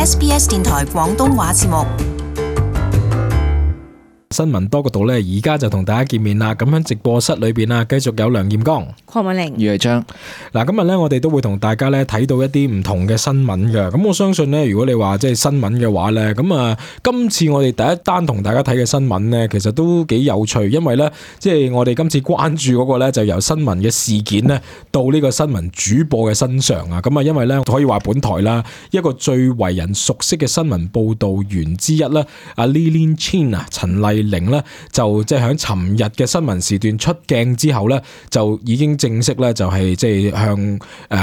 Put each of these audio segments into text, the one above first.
SBS 電台廣東話節目。新聞多角度咧，而家就同大家見面啦。咁喺直播室裏邊啊，繼續有梁劍剛、鄺美玲、余偉章。嗱，今日咧我哋都會同大家咧睇到一啲唔同嘅新聞嘅。咁我相信咧，如果你話即係新聞嘅話咧，咁啊，今次我哋第一單同大家睇嘅新聞咧，其實都幾有趣，因為咧，即係我哋今次關注嗰個咧，就由新聞嘅事件咧，到呢個新聞主播嘅身上啊。咁啊，因為咧可以話本台啦，一個最為人熟悉嘅新聞報導員之一咧，阿 Lillian Chin 啊，陳麗玲咧就即係喺尋日嘅新聞時段出鏡之後咧，就已經正式咧就係即係向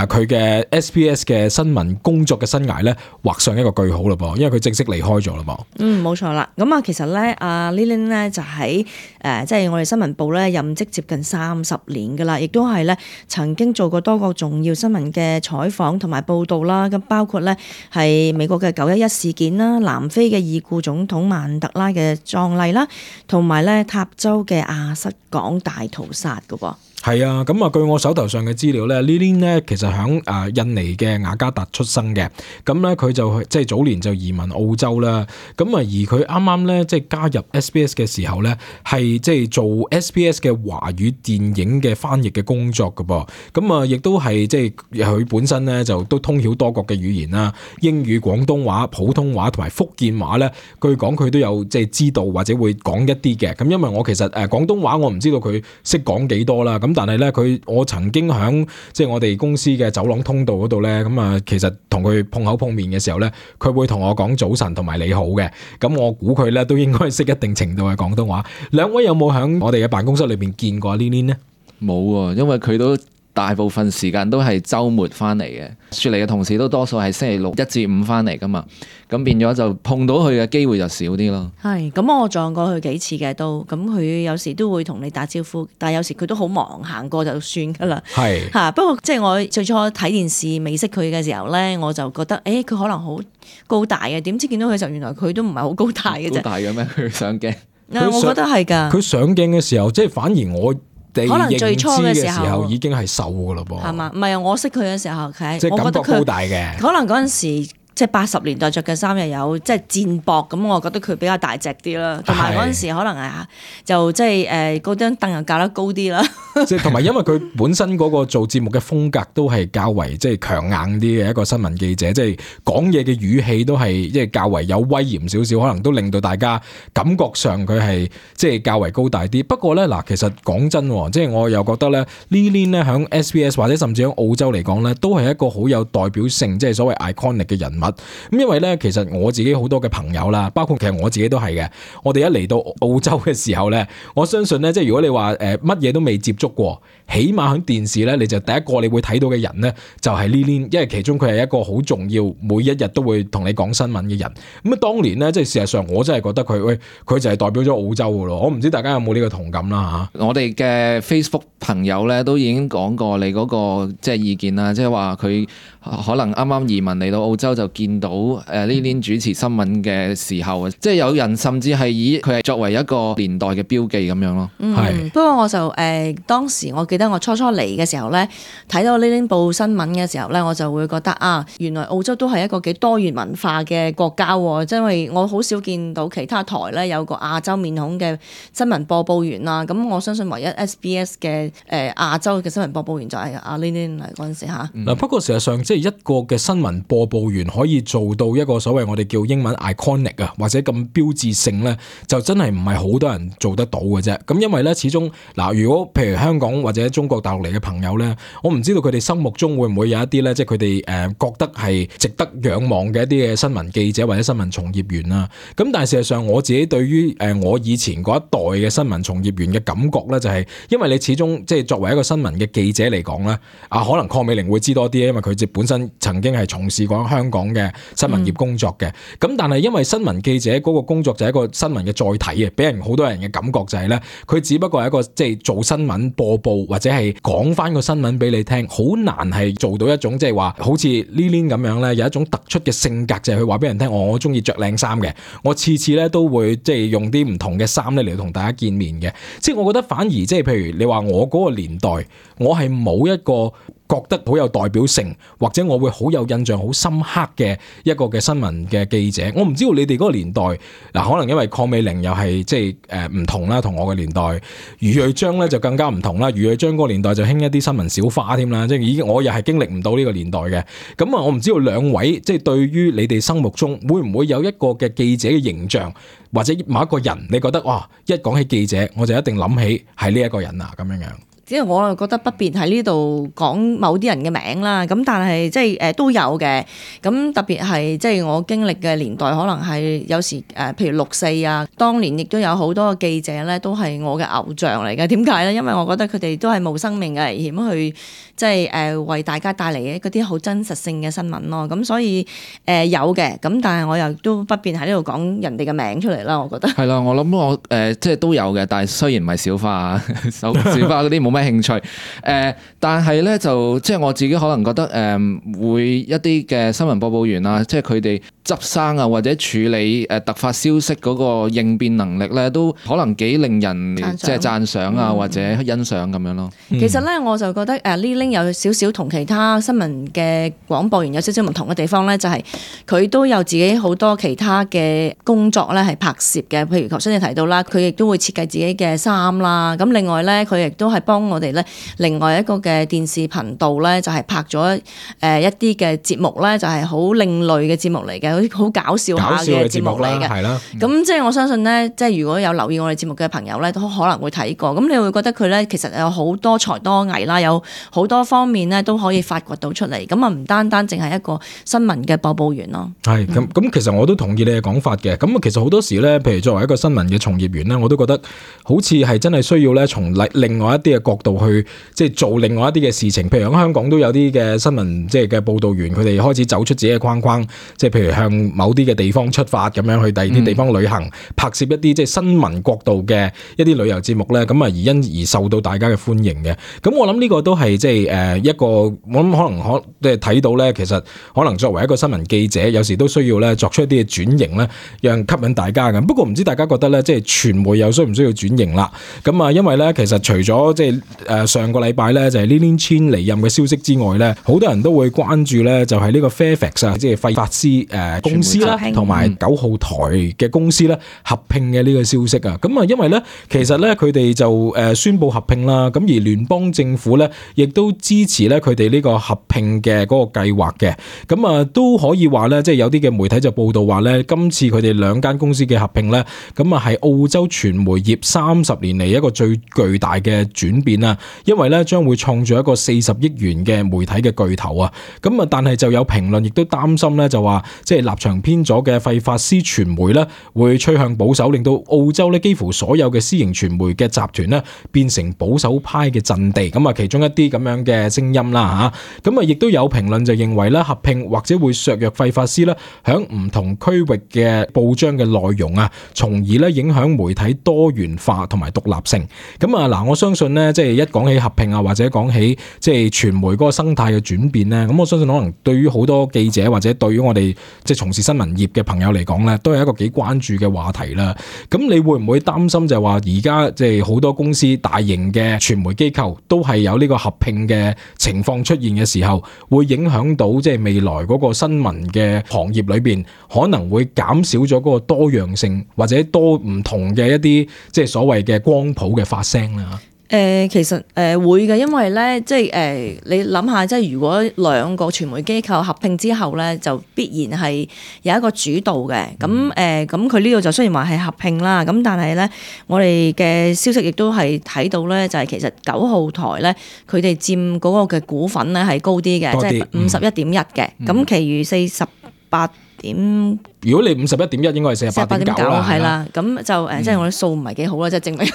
佢嘅 SBS 嘅新聞工作嘅生涯咧畫上一個句號啦噃，因為佢正式離開咗啦噃。冇錯啦。咁啊，其實咧，阿 Lillian 咧就喺即係我哋新聞部咧任職接近30年噶啦，亦都係咧曾經做過多個重要新聞嘅採訪同埋報導啦。咁包括咧係美國嘅911事件啦、南非嘅已故總統曼德拉嘅葬禮啦，同埋咧塔州嘅亞瑟港大屠殺噶噃。係啊，咁啊，據我手頭上嘅資料咧 ，Lillian 咧其實響印尼嘅雅加達出生嘅，咁咧佢就即係早年就移民澳洲啦，咁啊而佢啱啱咧即係加入 SBS 嘅時候咧，係即係做 SBS 嘅華語電影嘅翻譯嘅工作噶噃，咁啊亦都係即係佢本身咧就都通曉多國嘅語言啦，英語、廣東話、普通話同埋福建話咧，據講佢都有即係知道或者會講一啲嘅，咁因為我其實廣東話我唔知道佢識講幾多啦，咁但係咧我曾經喺即係我哋公司嘅走廊通道嗰度咧，咁啊其實同佢碰口碰面嘅時候咧，佢會同我講早晨同埋你好嘅，咁我估佢咧都應該識一定程度嘅廣東話。兩位有冇喺我哋嘅辦公室裏邊見過 Lillian 呢？冇喎，因為佢都大部分時間都係週末翻嚟嘅，雪梨嘅同事都多數係星期六1至5翻嚟噶嘛，咁變咗就碰到佢嘅機會就少啲咯。係，咁我撞過佢幾次嘅都，咁佢有時都會同你打招呼，但係有時佢都好忙，行過就算噶啦。係嚇，不過即係我最初睇電視未識佢嘅時候咧，我就覺得佢可能好高大嘅，點知見到佢就原來佢都唔係好高大嘅啫。高大嘅咩？佢上鏡？我覺得係㗎。佢上鏡嘅時候，即係反而我可能最初嘅時候已經係瘦㗎嘞噃。係嘛？唔係啊，我識佢嘅時候，即係感覺高大嘅。可能嗰陣時即係80年代着嘅衫又有即係戰薄，咁我覺得佢比較大隻啲啦。同埋嗰陣時可能就即係嗰張凳又架得高啲啦。即係同埋因為佢本身嗰個做節目嘅風格都係較為即係強硬啲嘅一個新聞記者，即係講嘢嘅語氣都係即係較為有威嚴少少，可能都令到大家感覺上佢係即係較為高大啲。不過咧嗱，其實講真，即係我又覺得咧 Lillian 咧響 SBS 或者甚至喺澳洲嚟講咧，都係一個好有代表性，即係所謂 iconic 嘅人物。咁因為咧，其實我自己好多嘅朋友啦，包括其實我自己都係嘅。我哋一嚟到澳洲嘅時候咧，我相信咧，即係如果你話乜嘢都未接觸過，起碼喺電視咧，你就第一個你會睇到嘅人咧，就係 Lillian，因為其中佢係一個好重要，每一日都會同你講新聞嘅人。咁啊，當年咧，即係事實上我真係覺得佢就係代表咗澳洲㗎咯。我唔知大家有冇呢個同感啦嚇。我哋嘅 Facebook 朋友咧都已經講過你嗰個即係意見啦，即係話佢可能啱啱移民嚟到澳洲就見到Lillian 主持新聞嘅時候，即係有人甚至係以佢係作為一個年代嘅標記咁樣咯。不過我就當時我記得我初嚟嘅時候咧，睇到 Lillian 報新聞嘅時候咧，我就會覺得原來澳洲都係一個幾多元文化嘅國家喎，因為我好少見到其他台咧有個亞洲面孔嘅新聞播報員啦。咁我相信唯一 SBS 嘅亞洲嘅新聞播報員就係阿 Lillian 嚟嗰陣時嚇。不過事實上即係一個嘅新聞播報員可以做到一個所謂我哋叫英文 iconic 啊，或者咁標誌性咧，就真係唔係好多人做得到嘅啫。咁因為咧，始終如果譬如香港或者中國大陸嚟嘅朋友咧，我唔知道佢哋心目中會唔會有一啲咧，即係佢哋覺得係值得仰望嘅一啲嘅新聞記者或者新聞從業員啦。咁但係事實上我自己對於我以前嗰一代嘅新聞從業員嘅感覺咧，就係因為你始終即係作為一個新聞嘅記者嚟講咧，可能鄺美玲會知多啲，因為佢本身曾經係從事過香港嘅新聞業工作嘅。咁但係因為新聞記者嗰個工作就係一個新聞嘅載體啊，俾人好多人嘅感覺就係咧，佢只不過係一個即係做新聞播報或者係講翻個新聞俾你聽，好難係做到一種即係話好似 Lillian 咁樣咧，有一種突出嘅性格，就係佢話俾人聽，我中意着靚衫嘅，我次次咧都會即係用啲唔同嘅衫咧嚟同大家見面嘅。即係我覺得反而即係譬如你話我嗰個年代，我係冇一個覺得好有代表性，或者我會好有印象、好深刻嘅一個嘅新聞嘅記者。我唔知道你哋嗰個年代嗱，可能因為鄺美齡又係即係唔同啦，同我嘅年代。余瑞章咧就更加唔同啦。余瑞章嗰個年代就興一啲新聞小花添啦，即係已經我又係經歷唔到呢個年代嘅。咁啊，我唔知道兩位即係對於你哋心目中會唔會有一個嘅記者嘅形象，或者某一個人，你覺得哇，一講起記者，我就一定諗起係呢一個人啊咁樣樣。即係我又覺得不便喺呢度講某啲人嘅名啦，咁但係即係都有嘅。咁特別係即係我經歷嘅年代，可能係有時譬如6·4啊，當年亦都有好多記者咧，都係我嘅偶像嚟嘅。點解咧？因為我覺得佢哋都係冒生命嘅危險去即係為大家帶嚟嗰啲好真實性嘅新聞咯。咁所以有嘅，咁但係我又都不便喺呢度講人哋嘅名出嚟啦。我覺得係啦，我諗我即係都有嘅，但係雖然唔係小花啊，小花嗰啲冇咩興趣，但係咧就即係我自己可能覺得會一啲嘅新聞播報員啊，即係佢哋執生啊或者處理突發消息嗰個應變能力咧，都可能幾令人即係讚賞啊或者欣賞咁樣咯。其實咧我就覺得Li-Ling 有少少同其他新聞嘅廣播員有少少唔同嘅地方咧，就係佢都有自己好多其他嘅工作咧係拍攝嘅，譬如頭先你提到啦，佢亦都會設計自己嘅衫啦。咁另外咧，佢亦都係幫我哋咧。另外一個嘅電視頻道咧，就係拍咗一啲嘅節目咧，就係好另類嘅節目嚟嘅，好搞笑下嘅節目嚟嘅。係啦，咁即係我相信咧，即係如果有留意我哋節目嘅朋友咧，都可能會睇過。咁你會覺得佢咧，其實有好多才多藝啦，有好多方面咧都可以發掘到出嚟。咁啊，唔單單淨係一個新聞嘅播報員咯。係咁，其實我都同意你嘅講法嘅。咁其實好多時咧，譬如作為一個新聞嘅從業員咧，我都覺得好似係真係需要咧，從另外一啲嘅角度去。即係做另外一啲嘅事情，譬如喺香港都有啲嘅新聞即係嘅報導員，佢哋開始走出自己嘅框框，即係譬如向某啲嘅地方出發咁樣去第二啲地方旅行，拍攝一啲即係新聞角度嘅一啲旅遊節目咧，咁啊而因而受到大家嘅歡迎嘅。咁我諗呢個都係即係一個，我諗可能即係睇到咧，其實可能作為一個新聞記者，有時都需要咧作出一啲嘅轉型咧，讓吸引大家嘅。不過唔知大家覺得咧，即係傳媒又需唔需要轉型啦？咁啊，因為咧其實除咗即係上個禮拜咧就係 Lilian Chin 離任嘅消息之外咧，好多人都會關注咧，就係呢個 Fairfax 啊，即係費法斯公司啦，同埋9號台嘅公司咧合併嘅呢個消息啊。咁啊，因為咧其實咧佢哋就宣布合併啦，咁而聯邦政府咧亦都支持咧佢哋呢個合併嘅嗰個計劃嘅。咁啊都可以話咧，即係有啲嘅媒體就報道話咧，今次佢哋兩間公司嘅合併咧，咁啊係澳洲傳媒業30年嚟一個最巨大嘅轉變啊。因為咧將會創造一個40億元嘅媒體嘅巨頭啊，咁啊但係就有評論亦都擔心咧，就話即係立場偏左嘅費法斯傳媒咧會趨向保守，令到澳洲咧幾乎所有嘅私營傳媒嘅集團咧變成保守派嘅陣地，咁啊其中一啲咁樣嘅聲音啦嚇，咁啊亦都有評論就認為咧合併或者會削弱費法斯咧響唔同區域嘅報章嘅內容啊，從而咧影響媒體多元化同埋獨立性。咁啊嗱，我相信咧即係一講起合併啊，或者講起即係傳媒嗰個生態嘅轉變咧，咁我相信可能對於好多記者或者對於我哋即係從事新聞業嘅朋友嚟講咧，都係一個幾關注嘅話題啦。咁你會唔會擔心就係話而家即係好多公司大型嘅傳媒機構都係有呢個合併嘅情況出現嘅時候，會影響到即係未來嗰個新聞嘅行業裏邊可能會減少咗嗰個多樣性，或者多唔同嘅一啲即係所謂嘅光譜嘅發聲啦？其實會嘅，因為咧即係你諗下，即係如果兩個傳媒機構合併之後咧，就必然係有一個主導嘅。咁咁佢呢度就雖然話係合併啦，咁但係咧我哋嘅消息亦都係睇到咧，就係其實9號台咧佢哋佔嗰個嘅股份咧係高啲嘅，即係51.1嘅。咁其餘48點。如果你51.1應該係48.9啦，係啦，咁就即係我啲數唔係幾好啦，即係證明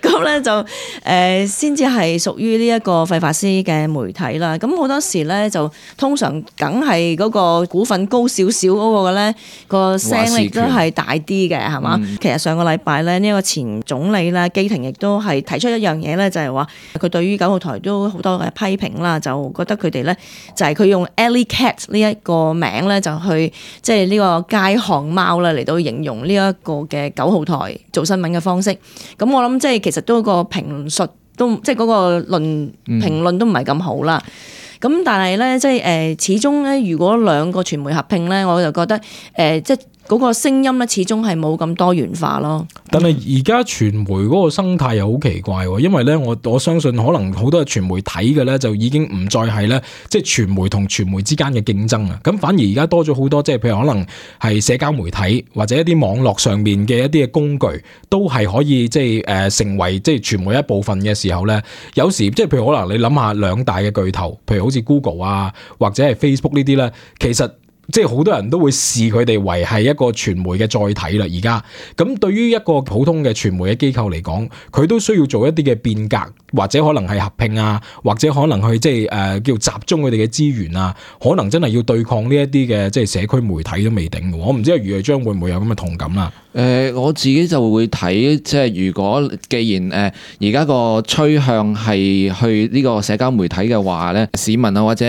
咁咧就先至係屬於呢一個費法斯嘅媒體啦。咁好多時咧就通常梗係嗰個股份高少少嗰個咧個聲力都係大啲嘅，係嘛？其實上個禮拜咧呢一個前總理咧基廷亦都係提出一樣嘢咧，就係話佢對於9號台都好多嘅批評啦，就覺得佢哋咧就係佢用 Alley Cat 呢一個名咧就去即係呢個街巷貓啦嚟到形容呢一個嘅9號台做新聞嘅方式。咁我諗即係其實都個評述都即係嗰個評論都唔係咁好啦。咁但係咧，即係始終咧，如果兩個傳媒合併咧，我就覺得即係嗰個聲音咧，始終係冇咁多元化咯。但係而家傳媒嗰個生態又好奇怪喎，因為咧我相信可能好多傳媒睇嘅咧就已經唔再係咧即係傳媒同傳媒之間嘅競爭啊，咁反而而家多咗好多即係譬如可能係社交媒體或者一啲網絡上面嘅一啲嘅工具都係可以即係成為即係傳媒一部分嘅時候咧，有時即係譬如可能你諗下兩大嘅巨頭，譬如好似 Google 啊或者係 Facebook 呢啲咧，其實即係好多人都會視佢哋為係一個傳媒嘅載體啦。而家咁對於一個普通嘅傳媒嘅機構嚟講，佢都需要做一啲嘅變革，或者可能係合併啊，或者可能去即係叫集中佢哋嘅資源啊，可能真係要對抗呢一啲嘅即係社區媒體都未定嘅。我唔知阿余藝章會唔會有咁嘅同感啦？我自己就會睇，即係如果既然而家個趨向係去呢個社交媒體嘅話咧，市民啊或者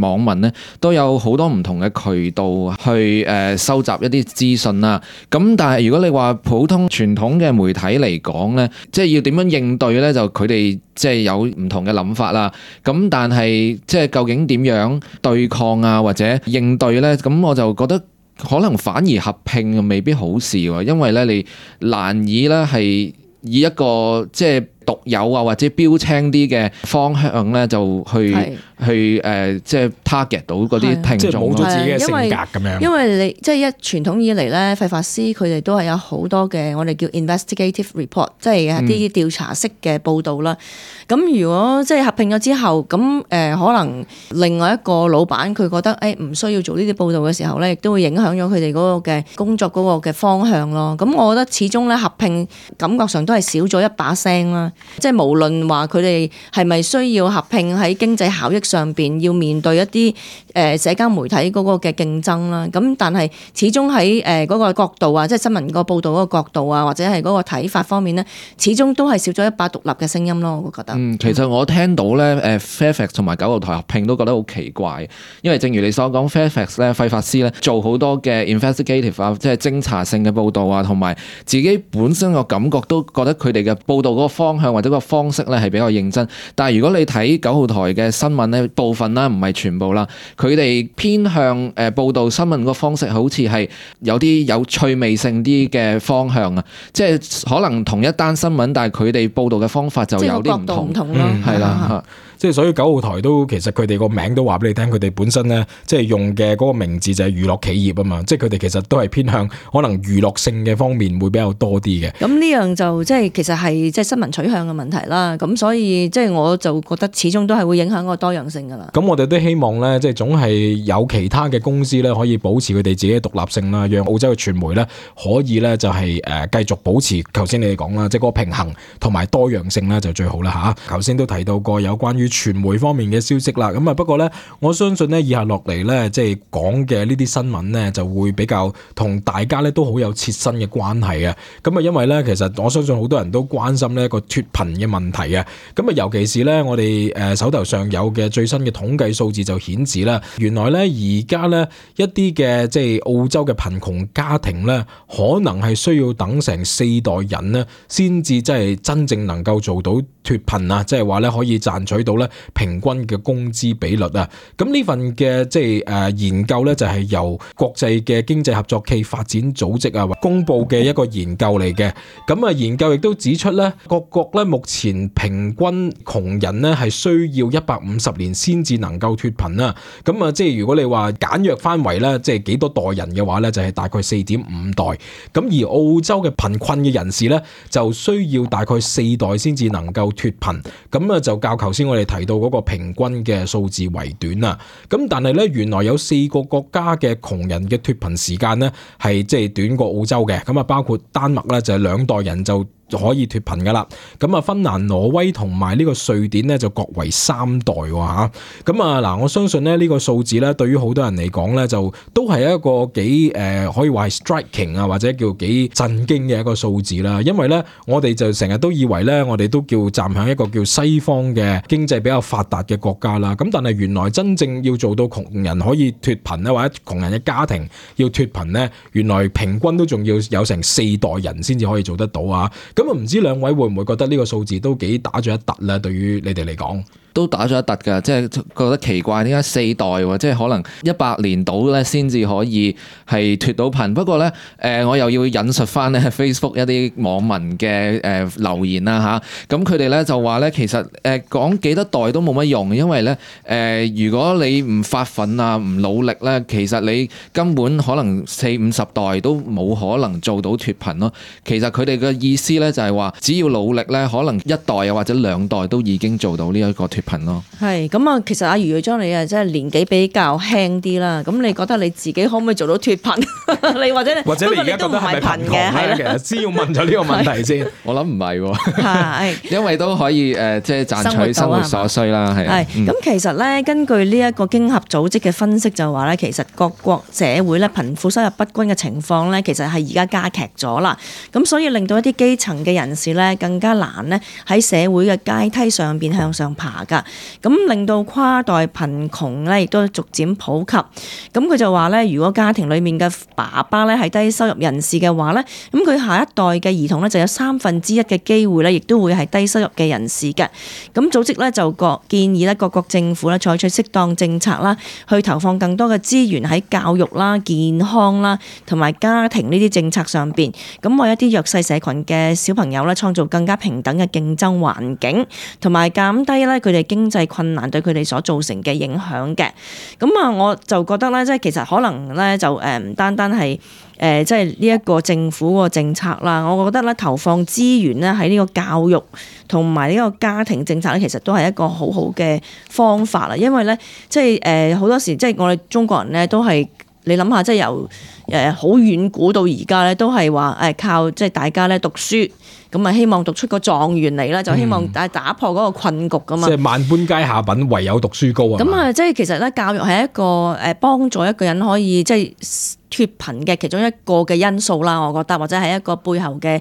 網民咧都有好多唔同嘅渠道去收集一啲資訊啦。咁但係如果你話普通傳統嘅媒體嚟講咧，即係要點樣應對咧，就佢哋即係有唔同嘅諗法啦。咁但係即係究竟點樣對抗啊或者應對咧？咁我就覺得可能反而合併未必好事喎，因為咧你難以咧係以一個即係獨有啊或者標青啲嘅方向咧就去即係 target 到嗰啲聽眾，即係冇咗自己嘅性格咁樣。因為你即係一傳統以嚟咧，廢法師佢哋都係有好多嘅我哋叫 investigative report， 即係一啲調查式嘅報導啦。咁如果即係合併咗之後，咁可能另外一個老闆佢覺得唔需要做呢啲報導嘅時候咧，亦都會影響咗佢哋嗰個嘅工作嗰個嘅方向咯。咁我覺得始終咧合併感覺上都係少咗一把聲啦。即係無論話佢哋係咪需要合併喺經濟效益上邊要面對一啲社交媒體嗰個嘅競爭啦，咁但係始終喺嗰個角度啊，即係新聞個報導嗰個角度啊，或者係嗰個睇法方面咧，始終都係少咗一把獨立嘅聲音咯。我覺得。其實我聽到咧Fairfax 同埋九號台合併都覺得好奇怪，因為正如你所講 Fairfax 咧廢法師咧做好多嘅 investigative 啊，即係偵查性嘅報導啊，同埋自己本身個感覺都覺得佢哋嘅報導嗰個方向或者個方式咧係比較認真。但係如果你睇九號台嘅新聞咧，部分啦唔係全部啦，佢哋偏向報導新聞個方式好似係有啲有趣味性啲嘅方向啊，即係可能同一單新聞，但係佢哋報導嘅方法就有啲唔同咯，係啦。即係所以九號台都其實佢哋個名都話俾你聽，佢哋本身咧即係用嘅嗰個名字就係娛樂企業啊嘛，即係佢哋其實都係偏向可能娛樂性嘅方面會比較多啲嘅。咁呢樣就即係其實係即係新聞取向嘅問題啦。咁所以即係我就覺得始終都係會影響個多樣性噶啦。咁我哋都希望咧，即係總係有其他嘅公司咧可以保持佢哋自己嘅獨立性啦，讓澳洲嘅傳媒咧可以咧就係繼續保持頭先你哋講啦，即係嗰個平衡同埋多樣性咧就最好啦嚇。頭先都提到過有關於傳媒方面嘅消息啦，咁啊不過咧，我相信咧以下落嚟咧，即係講嘅呢啲新聞咧，就會比較同大家咧都好有切身嘅關係啊。咁啊，因為咧，其實我相信好多人都關心呢一個脫貧嘅問題啊。咁啊，尤其是咧，我哋手頭上有嘅最新嘅統計數字就顯示啦，原來咧而家咧一啲嘅即係澳洲嘅貧窮家庭咧，可能係需要等成4代人咧，先至即係真正能夠做到脫貧啊，即係話咧可以賺取到咧平均嘅工資比率啊。咁呢份嘅即係研究咧就係由國際嘅經濟合作暨發展組織啊公布嘅一個研究嚟嘅。咁啊研究亦都指出咧，各國咧目前平均窮人咧係需要150年先至能夠脫貧啦。咁啊即係如果你話簡約翻為咧，即係幾多代人嘅話咧，就係大概4.5代。咁而澳洲嘅貧困嘅人士咧，就需要大概4代先至能夠脫貧。咁啊就較頭先我哋提到嗰個平均嘅數字為短啦。咁但係咧，原來有4個國家嘅窮人嘅脫貧時間咧係即係短過澳洲嘅。咁啊包括丹麥咧就係2代人就可以脫貧噶啦。咁啊芬蘭、挪威同埋呢個瑞典咧就各為3代吓。咁啊嗱，我相信咧呢個數字咧對於好多人嚟講咧就都係一個幾可以話係 striking 啊，或者叫幾震驚嘅一個數字啦。因為咧我哋就成日都以為咧我哋都叫站響一個叫西方嘅經濟比較發達嘅國家啦。咁但係原來真正要做到窮人可以脫貧咧，或者窮人嘅家庭要脫貧咧，原來平均都仲要有成4代人先至可以做得到啊。咁啊，唔知兩位會唔會覺得呢個數字都幾打咗一突咧？對於你哋嚟講？都打咗一突㗎，即係覺得奇怪，點解4代喎？即係可能100年到咧先至可以係脫到貧。不過咧，我又要引述翻咧 Facebook 一啲網民嘅留言啦嚇。咁佢哋咧就話咧，其實講幾多代都冇乜用，因為咧如果你唔發奮啊、唔努力咧，其實你根本可能40-50代都冇可能做到脫貧咯。其實佢哋嘅意思咧就係話，只要努力咧，可能1代啊或者2代都已經做到呢一個脫貧咯。係咁啊，其實阿余耀章你啊，即係年紀比較輕啲啦。咁你覺得你自己可唔可以做到脫貧？你或者你而家覺得係咪貧窮咧？其實先要問咗呢個問題先。我諗唔係喎，係因為都可以即係賺取生活所需啦。係咁其實咧，根據呢一個經合組織嘅分析就話咧，其實各國社會咧貧富收入不均嘅情況咧，其實係而家加劇咗啦。咁所以令到一啲基層嘅人士咧，更加難咧喺社會嘅階梯上邊向上爬㗎。咁令到跨代貧窮咧，亦都逐漸普及。咁佢就話咧，如果家庭裡面嘅爸爸咧係低收入人士嘅話咧，咁佢下一代嘅兒童咧就有1/3嘅機會咧，亦都會係低收入嘅人士嘅。咁組織咧就建議咧各國政府咧採取適當政策啦，去投放更多嘅資源喺教育啦、健康啦同埋家庭呢啲政策上邊，咁為一啲弱勢社群嘅小朋友咧創造更加平等嘅競爭環境，同埋減低咧佢哋經濟困難對佢哋所造成嘅影響嘅。咁啊，我就覺得咧，即係其實可能咧就唔單單係即係呢一個政府個政策啦，我覺得咧投放資源咧喺呢個教育同埋呢個家庭政策咧，其實都係一個好好嘅方法啦。因為咧，即係好多時即係我哋中國人咧都係你諗下，即係由好遠古到而家咧，都係話靠即係大家咧讀書。咁啊，希望讀出個狀元嚟啦，就希望打破嗰個困局噶嘛。即係萬般皆下品，唯有讀書高啊。咁啊，即係其實咧，教育係一個幫助一個人可以即係脫貧嘅其中一個嘅因素啦，我覺得，或者係一個背後嘅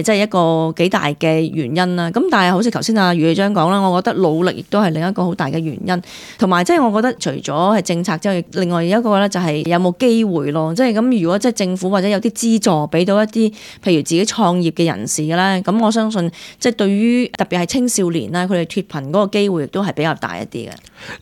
即係一個幾大嘅原因啦。咁但係好似頭先阿余耀章講啦，我覺得努力亦都係另一個好大嘅原因，同埋即係我覺得除咗係政策之外，另外一個咧就係有冇機會咯。即係咁，如果即係政府或者有啲資助俾到一啲譬如自己創業嘅人士咧，咁我相信即係對於特別係青少年啦，佢哋脫貧嗰個機會亦都係比較大一啲嘅。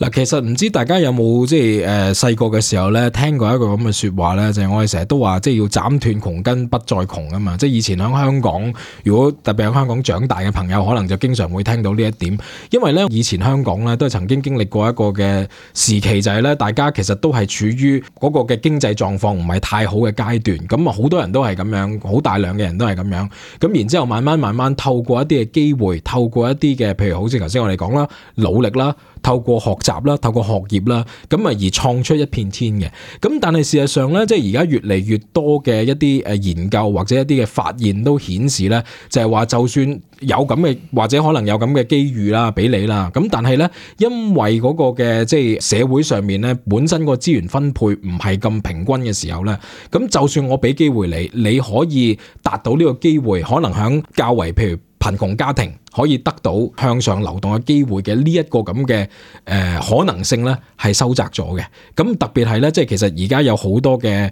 嗱，其實唔知大家有冇即係細個嘅時候咧，聽過一個咁嘅説話咧，就係我哋成日都話，即係要斬斷窮根，不再窮啊嘛！即係以前喺香港，如果特別喺香港長大嘅朋友，可能就經常會聽到呢一點，因為咧以前香港咧都係曾經經歷過一個嘅時期，就係咧大家其實都係處於嗰個嘅經濟狀況唔係太好嘅階段，咁啊好多人都係咁樣，好大量嘅人都係咁樣，咁然之後慢慢透過一啲嘅機會，透過一啲嘅譬如好似頭先我哋講啦，努力啦。透過學習啦，透過學業啦，咁啊而創出一片天嘅。咁但係事實上咧，即係而家越嚟越多嘅一啲研究或者一啲嘅發現都顯示咧，就係話就算有咁嘅或者可能有咁嘅機遇啦，俾你啦。咁但係咧，因為嗰個嘅即係社會上面咧，本身個資源分配唔係咁平均嘅時候咧，咁就算我俾機會你，你可以達到呢個機會，可能響較為譬如貧窮家庭可以得到向上流動嘅機會嘅呢一個咁嘅可能性咧，係收窄咗嘅。咁特別係咧，即係其實而家有好多嘅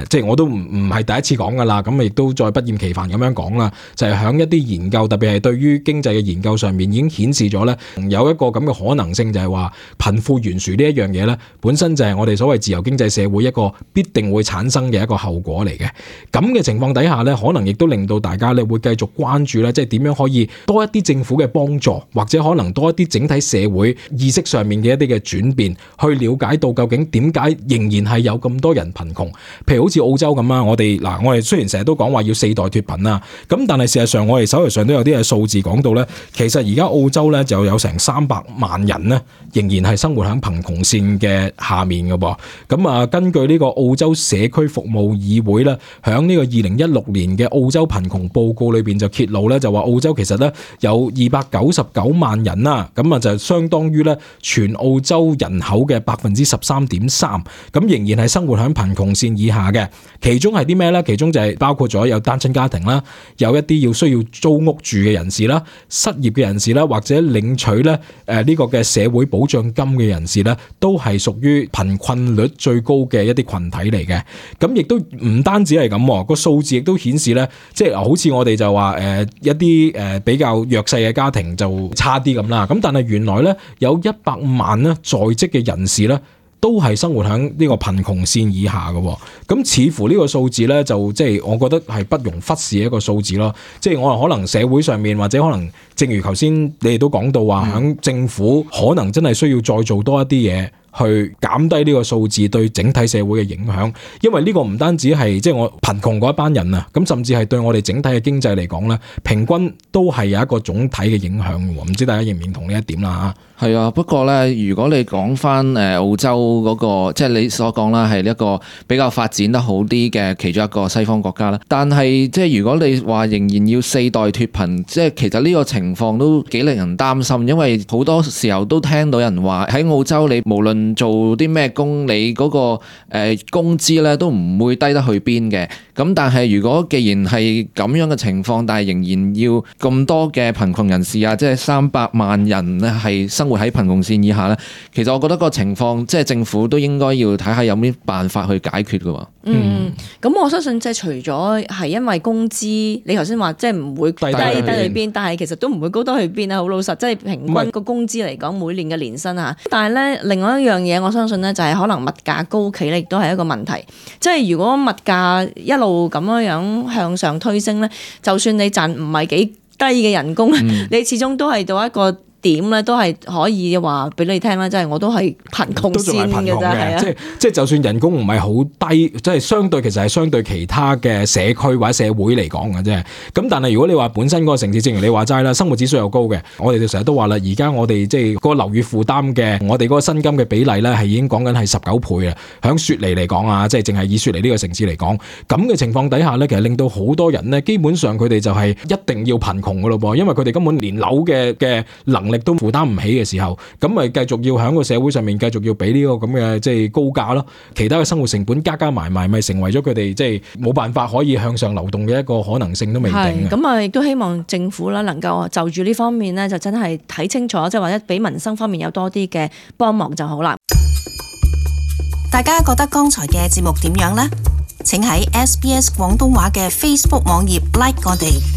即係我都唔係第一次講噶啦，咁亦都再不厭其煩咁樣講啦，就係響一啲研究，特別係對於經濟嘅研究上面已經顯示咗咧，有一個咁嘅可能性，就係話貧富懸殊呢一樣嘢咧，本身就係我哋所謂自由經濟社會一個必定會產生嘅一個後果嚟嘅。咁嘅情況底下咧，可能亦都令到大家咧會繼續關注咧，即係點樣可以多一啲政府嘅幫助，或者可能多一啲整體社會意識上面嘅一啲嘅轉變，去了解到究竟點解仍然係有咁多人貧窮。譬如好似澳洲咁啊，我哋雖然成日都講話要4代脫貧啦，咁但係事實上我哋手頭上都有啲嘅數字講到咧，其實而家澳洲咧就有成300萬人咧，仍然係生活喺貧窮線嘅下面嘅噃。咁啊，根據呢個澳洲社區服務議會咧，響呢個2016年嘅澳洲貧窮報告裏邊就揭露咧，就話澳洲其實咧有299萬人啦，咁啊就相當於咧全澳洲人口嘅13.3%，咁仍然係生活喺貧窮線以下嘅。其中係啲咩咧？其中就係包括咗有單親家庭啦，有一啲需要租屋住嘅人士啦，失業嘅人士啦，或者領取咧呢個嘅社會保障金嘅人士咧，都係屬於貧困率最高嘅一啲群體嚟嘅。咁亦都唔單止係咁，個數字亦都顯示咧，即係好似我哋就話一啲比較弱勢嘅家庭就差啲咁啦。咁但係原來咧有100萬咧在職嘅人士咧，都係生活喺呢個貧窮線以下嘅。咁似乎呢個數字咧就即係我覺得係不容忽視嘅一個數字咯。即係我可能社會上面或者可能正如頭先你哋都講到話，響政府可能真係需要再做多一啲嘢，去減低呢個數字對整體社會嘅影響，因為呢個唔單止係即係我貧窮嗰一班人啊，咁甚至係對我哋整體嘅經濟嚟講咧，平均都係有一個總體嘅影響嘅喎。唔知大家認唔認同呢一點啦嚇？係啊，不過咧，如果你講翻澳洲嗰個，即係你所講啦，係一個比較發展得好啲嘅其中一個西方國家啦。但係即係如果你話仍然要4代脫貧，即係其實呢個情況都幾令人擔心，因為好多時候都聽到人話喺澳洲你無論做啲咩工，你嗰個工資咧都唔會低得去邊嘅。咁但係如果既然係咁樣嘅情況，但係仍然要咁多嘅貧窮人士啊，即係300萬人咧係生活喺貧窮線以下咧，其實我覺得個情況即係政府都應該要睇下有咩辦法去解決㗎喎。咁我相信即係除咗係因為工資，你頭先話即係唔會低去邊，但係其實都唔會高得去邊啊！好老實，即係平均個工資嚟講，每年嘅年薪嚇。但係咧，另外一樣嘢，我相信咧就係可能物價高企咧，亦都係一個問題。即係如果物價一路咁樣向上推升咧，就算你賺唔係幾低嘅人工，你始終都係到一個點咧，都係可以話俾你聽啦，即係我都係貧窮線嘅啫，係啊，即係就算人工唔係好低，即係相對其實係相對其他嘅社區或者社會嚟講嘅啫。咁但係如果你話本身嗰個城市，正如你話齋啦，生活指數又高嘅，我哋就成日都話啦，而家我哋即係嗰個樓宇負擔嘅，我哋嗰個薪金嘅比例咧係已經講緊係19倍啊。響雪梨嚟講啊，即係淨係以雪梨呢個城市嚟講，咁嘅情況底下咧，其實令到好多人咧，基本上佢哋就係一定要貧窮噶咯噃，因為佢哋根本連樓嘅能力都負擔唔起嘅時候，咁咪繼續要喺個社會上面繼續要俾呢個咁嘅即係高價咯。其他嘅生活成本加埋，咪成為咗佢哋即係冇辦法可以向上流動嘅一個可能性都未定嘅。咁啊，亦都希望政府啦能夠就住呢方面咧，就真係睇清楚，即係或者俾民生方面有多啲嘅幫忙就好啦。大家覺得剛才嘅節目點樣呢？請喺SBS 廣東話嘅 Facebook 網頁 like 我哋。